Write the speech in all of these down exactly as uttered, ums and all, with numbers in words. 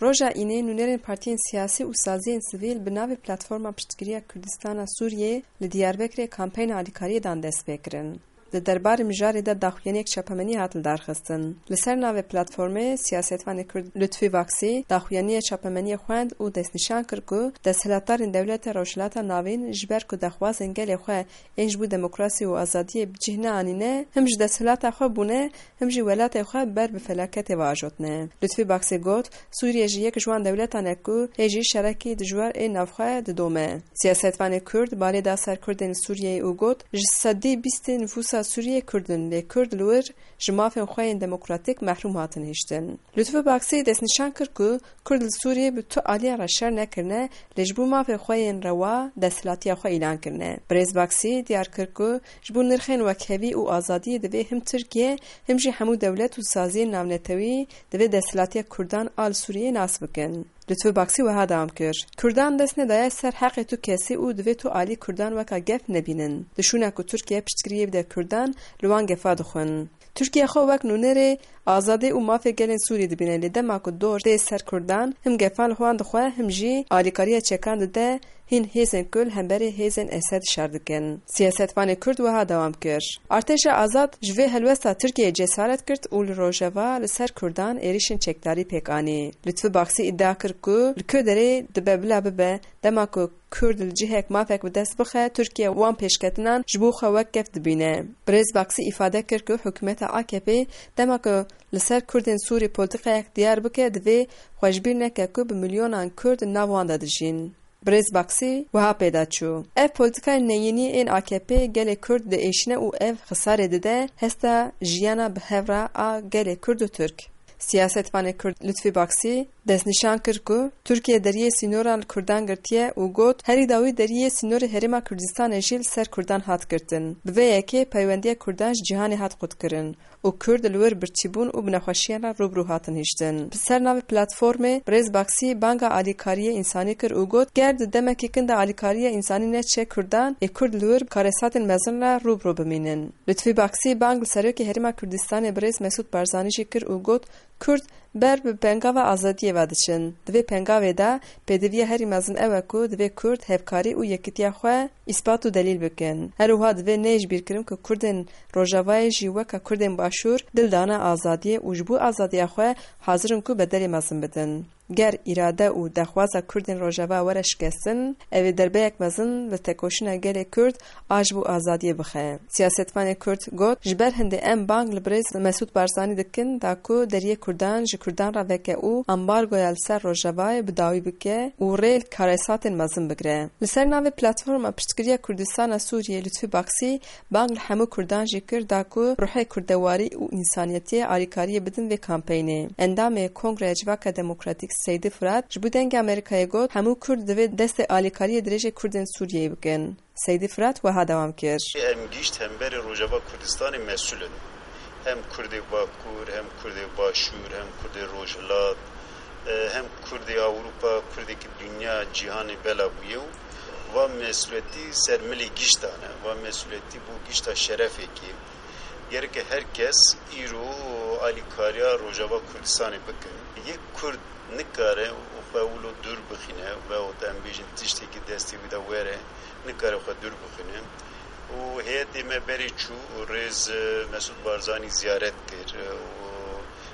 Roja Înê nûnerên partiyên siyasî û saziyên sivîl bi navê Platforma Piştgiriya Kurdistana Sûriyê li Diyarbekirê kampeyna alîkariyê dan dest pê kirin. Di derbarê mijarê de daxuyaniyek çapemenî hat lidarxistin. Li ser navê platformê siyasetvanê Kurd Lutfî Baksî daxuyaniya çapemeniyê xwend û destnîşan kir ku desthilatdarên dewleta Rojhilata Navîn ji ber ku dexwazên gelê xwe ên ji bo demokrasî û azadiyê bi cih neanîne, him ji desthilata xwe bûne, him jî welatê xwe ber bi felaketê ve ajotine. Lutfî Baksî got, Sûriye jî yek ji wan dewletan e ku hê jî şerekî dijwar ê navxwe didome. Siyasetvanê Kurd balê da ser Kurdên li Sûriyeyê û got, Ji sedî bîstê nifûsa Sûriyê Kurd in, lê Kurd li wir ji mafên xwe yên demokratîk mehrûm hatin hiştin. Lutfî Baksî destnîşan kir ku Kurd li Sûriyê bi tu aliyan re şer nekirine, lê ji bo mafê xwe yên rewa desthilatiya xwe îlan kirine. Birêz Baksî diyar kir ku ji bo nirxên wekhevî û azadiyê divê him Tirkiye, him jî hemû dewlet û saziyên navnetewî divê desthilatiya Kurdan a li Sûriyeyê nas bikin. Lutfî Baksî wiha dewam kir, Kurdan dest nedaye ser heqê tu kesî û divê tu alî Kurdan weka gef nebînin. Di şûna ku Tirkiye piştgiriyê bide Kurdan, li wan gefa dixwin. Tirkiye xwe wek nûnerê azadî û mafê gelên Sûrî dibîne, lê dema ku dor tê ser Kurdan, him gefan li wan dixwe, him jî alîkariya çekan dide hîn hêzên ku li hemberî hêzên Esed şer dikin. Siyasetvanê Kurd wiha dewam kir, Artêşa azad ji vê helwesta Tirkiyeyê cesaret girt û li Rojava li ser Kurdan êrîşên çekdarî pêk anî. Lutfî Baksî îdia kir ku li ku derê dibe bila bibe, dema ku Kurd li cihek mafek bi dest bixe, Tirkiye wan pêşketinan ji bo xwe wek gef dibîne. Birêz Baksî îfade kir ku hikûmeta A K P dema ku li ser Kurdên Sûrî polîtîkayek diyar bike, divê xwe ji bîr neke ku bi milyonan Kurd di nav wan de dijîn. Birêz Baksî wiha pê de çû, Ev polîtîkayên neyînî ên A K P gelê Kurd diêşîne û ev xisarê dide hesta jiyana bi hev re a gelê Kurd û Tirk. Siyasetvanê Kurd Lutfî Baksî destnîşan kir ku Tirkiye deriyê sînoran li Kurdan girtiye û got, Herî dawî deriyê sînorê Herêma Kurdistanê jî li ser Kurdan hat girtin. Bi vê yekê peywendiya Kurdan ji cîhanê hat qutkirin û Kurd li wir birçîbûn û bi nexweşiyan re rû bi rû hatin hiştin. Bi ser navê platformê Birêz Baksî banga alîkariyê însanî kir û got, Ger di demekî kin de alîkariya însanî neçe Kurdan, ê Kurd li wir karesatên mezin re rû bi rû bimînin. Lutfî Baksî bang li Serokê Herêma Kurdistanê Birêz Mesûd Barzanî jî kir û got, Kurd ber bi pengava azadiyê ve diçin. Di vê pengavê de pêdiviya herî mezin ew e ku divê Kurd hevkarî û yekîtiya xwe îspat û delîl bikin. Her wiha divê neyê ji bîr kirin ku Kurdên Rojavayê jî weke Kurdên Başûr dil dane azadiyê û ji bo azadiya xwe hazir in ku bedelê mezin bidin. Ger îrade û dexwaza Kurdên Rojava were şikestin, ev ê derbeyek mezin li tekoşîna gelê Kurd a ji bo azadiyê bixe. Siyasetvanê Kurd got, Ji ber hindê em bang li birêz Mesûd Barzanî dikin da ku deriyê Kurdan ji Kurdan re veke û ambargoya li ser Rojavayê bi dawî bike û rê li karesatên mezin bigire. Li ser navê Platforma Piştgiriya Kurdistana Sûriyê Lutfî Baksî bang li hemû Kurdan jî kir da ku ruhê kurdewarî û însaniyetiyê alîkariyê bidin vê kampeynê. Endamê Kongreya Civaka Demokratîk Seydî Firat ji bo Dengê Amerîkayê got, Hemû Kurd divê destê alîkariyê dirêjê Kurdên Sûriyeyê bikin. Seydî Firat wiha dewam kir. Em gişt hemberê Rojava Kurdistanê mesûl in. Hem Kurdê Bakur, hem Kurdê Başûr, hem Kurdê Rojhilat, e, hem Kurdê Ewropa, Kurdekî dinya, cîhanê bela bûye û va mesûletî ser milê giştan e. Va mesûletî bû gişta şerefekê. Gereke her kes îro alîkariya Rojava Kurdistanê bikin. Yek Kurd nikare xwe wilo dûr bixîne veyahût em bêjin tiştekî destê wî de were, nikare xwe dûr bixîne. Û heyetê me berê çû û rêz, e, Mesûd Barzanî ziyaret kir, e,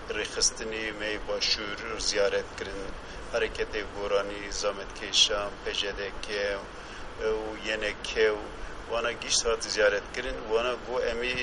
û rêxistinê me yê Başûr ziyaret kirin, Hereketê Goranî, Zametkêşan, P J D K û Y N K û wana gişt hat ziyaret kirin. Wana got, em ê